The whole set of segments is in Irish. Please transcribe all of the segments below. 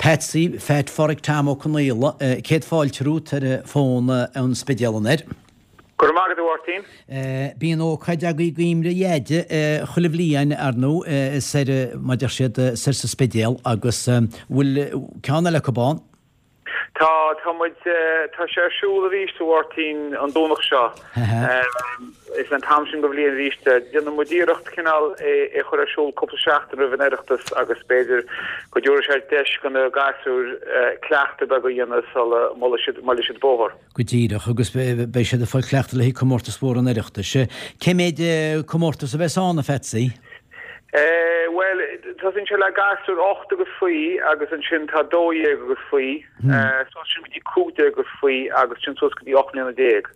Patsy, Phat Pháraic Tom Ó Conaola, céad fáilte romhat ar an bhfón ón Spidéal anoir. Go raibh maith agat, a Mháirtín. Bíonn ócáid agaibh i gcuimhne Dheaide chuile bhliain, ar ndóigh, soir, mar a deir siad, soir sa Spidéal agus bhfuil ceann eile acu ann? Tá, tá muid, tá sé ar siúl arís, a Mháirtín, an Domhnach seo. Is an t-am sin den bhliain arís. Déanann muid iarracht cineál é a chur ar siúl cúpla seachtain roimh an Oireachtas agus b'fhéidir go dtabharfaidh sé deis do na gasúir cleachtadh beag a dhéanamh sula mbuailfidh siad bóthar. Go díreach, agus beidh siad ag fáil cleachtadh le haghaidh comórtas mhór an Oireachtais. Cé méid comórtas a bheas ann, a Phatsy? Bhuel, tosaíonn sé le gasúir 8 agus faoi agus ansin tá 12 agus faoi, suas sin go dtí 15 agus faoi agus sin suas go dtí 18 mbliana.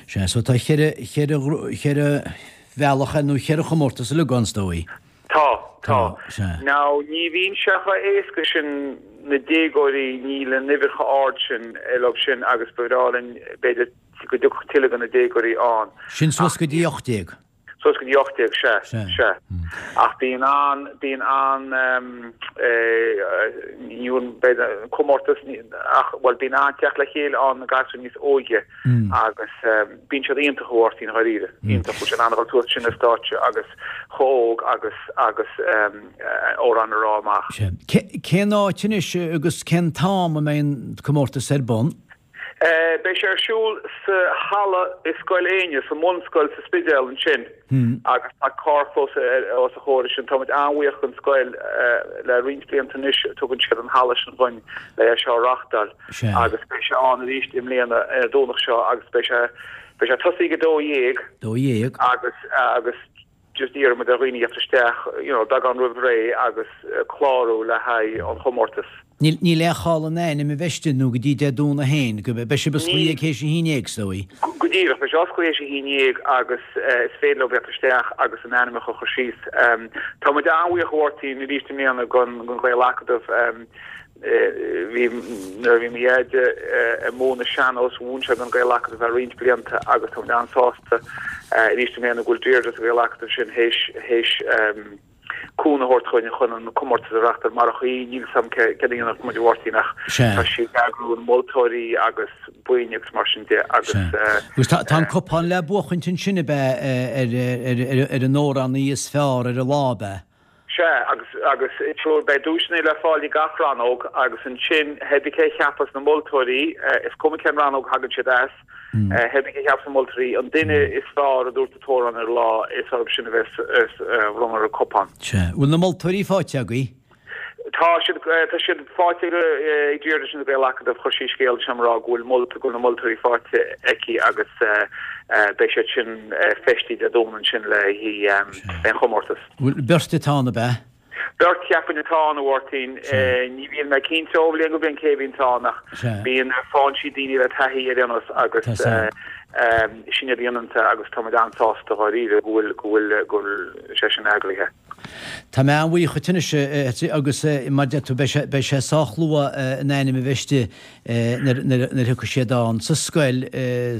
Sea, so tá cheithre, cheithre, cheithre bhealach nó cheithre chomórtas uilig ann, is dóigh. Tá, tá. Now, ní bhíonn sé chomh éasca sin na déagóirí, níl an uimhir chomh ard sin leo sin agus ba bhreá linn b'fhéidir go dtiocfadh tuilleadh de na déagóirí ann. Sin suas go dtí 18. Suas go dtí 18, sea, sea. Ach bíonn an, bíonn an, ní b'fhéidir comórtas, ach, bhuel, bíonn an-teacht le chéile ann na gasúir níos óige agus bíonn siad iontach, a Mháirtín, dháiríre, iontach, bhfuil siad in ann a dhul suas sin ar stáitse agus chomh hóg agus, agus amhrán a rá amach. Sea. Cén áit anois agus cén t-am a mbeidh an comórtas ar bun? Beidh sé ar siúl sa halla i Scoil Éinne, sa mbunscoil sa Spidéal ansin agus tá carrchlós os a chomhair sin. Táimid an-bhuíoch den scoil le roinnt blianta anois tugann siad an halla sin dhúinn le é seo a reáchtáil agus beidh sé ann arís i mbliana ar an Domhnach seo agus beidh sé beidh sé tosaí ag 12:00 12:00. agus agus just iarraimid ar dhaoine theacht isteach you know beagán roimh ré agus clárú le haghaidh an chomórtais. Níl níl aon chall an ainm a bheith istigh nó go dtí Dé Domhnaigh féin, go beidh sibh osclaithe théis a haon dhéag is dóigh. Go díreach, beidh sé osclaithe théis a haon dhéag agus is féidir leo theacht isteach agus a n-ainmneacha a chur síos. Tá muid an-bhuíoch a Mháirtín arís i mbliana den den Ghael-Acadamh. Bhí, nuair a bhí mo dheaide ag múineadh sean-nós, mhúin sé don Ghael-Acadamh ar roinnt blianta agus tá muid an-sásta arís i mbliana go bhfuil Deirdre sa Ghael-Acadamh sin théis, théis cúnamh a thabhairt chugainn chun an comórtas a reáchtáil. Marach í, níl 'fhios a'm céard a dhéanfadh muid a Mháirtín ach tá sí ag eagrú na moltóirí agus boinn agus mar sin de agus. Agus tá, tá an cupán le buachaint ansin ab ea ar, ar, ar, ar an amhránaí is fearr ar an lá ab ea? Sea, agus, agus sure, beidh duaiseanna le fáil i gach rannóg agus ansin, hé bith cé a cheapas na moltóirí, is cuma cén rannóg a thagann siad as, hé bith cé a cheapas na moltóirí, an duine is fearr a dúirt an t-amhrán ar an lá, is orthu sin a bheas, a bhronnfar an cupán. Sea. Bhfuil na moltóirí faighte agaibh? Tá siad, tá siad faighte ag Deirdre sin sa Ghael-Acadamh, chuir sí scéal chugam ag rá go bhfuil mol, go bhfuil na moltóirí faighte aici agus beidh siad sin feistithe Dé Domhnaigh ansin le haghaidh an chomórtais. Bhfuil beirt atá ann, ab ea? Beirt cheapfainn atá ann, a Mháirtín. Ní bhíonn mé cinnte ó bhliain go bliain cé a bhíonns ann ach bíonn, faigheann siad daoine le taithí ar aon nós agus sin iad a dhéanann é agus tá muid an-sásta dháiríre go bhfuil, go bhfuil, go bhfuil sé sin eagraithe. Tá mé an-bhuíoch dhuit anois agus mar a deir tú beidh sé, beidh sé sách luath an ainm a bheith istigh nuair, nuair a thiocfaidh siad ann sa scoil,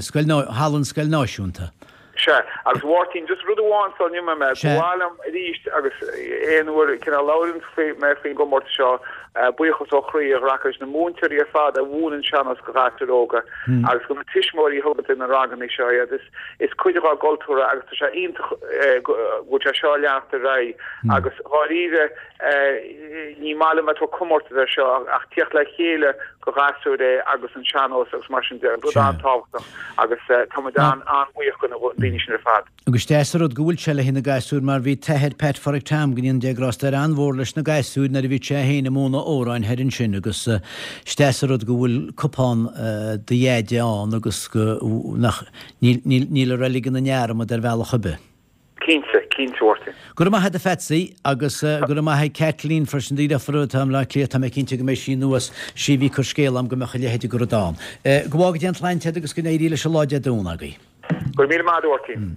scoil, halla an Scoil Náisiúnta. Sea, agus a Mháirtín, just rud amháin sula n-imeoidh mé, ba mhaith liom arís agus aon uair cineál labhraíonn mé faoin gcomórtas seo, buíochas ó chroí a ghlacadh leis na múinteoirí ar fad a mhúineann sean-nós do ghasúir óga agus do na tuismitheoirí a thugann na ranganna seo iad. Is is cuid dhá gcultúr é agus tá sé iontach go bhfuil sé seo ag leanacht ar aghaidh agus dháiríre ní maith liom a bheith ag tabhairt comórtas air seo ach tíocht le chéile do ghasúir é agus an sean-nós agus mar sin de, rud an-tábhachtach agus tá muid an-bhuíoch de na daoine sin ar fad. Agus deas an rud go bhfuil sé le haghaidh na gasúir mar bhí t-athair Pat Pháraic Tom, go ndéana Dia grásta air, an-mhór leis na gasúir nuair a bhí sé féin ag múineadh amhráin thoir ansin agus is deas an rud go bhfuil cupán do dheaide ann agus go, nach, níl, níl, níl an reilig ina ndearmad ar bhealach ar bith. Cinnte, cinnte, a Mháirtín. Go raibh maith agat a Phatsy, agus go raibh maith ag Kathleen freisin, do dheirfiúr atá i mBleá Cliath, tá mé cinnte go mbeidh sí anuas, sí a bhí ag cur scéala a'm go mbeadh a leithéid de rud ann. Go bhfága Dia an tsláinte agat agus go n-éirí leis an lá Dé Domhnaigh agaibh. Go raibh míle maith agat, a Mháirtín.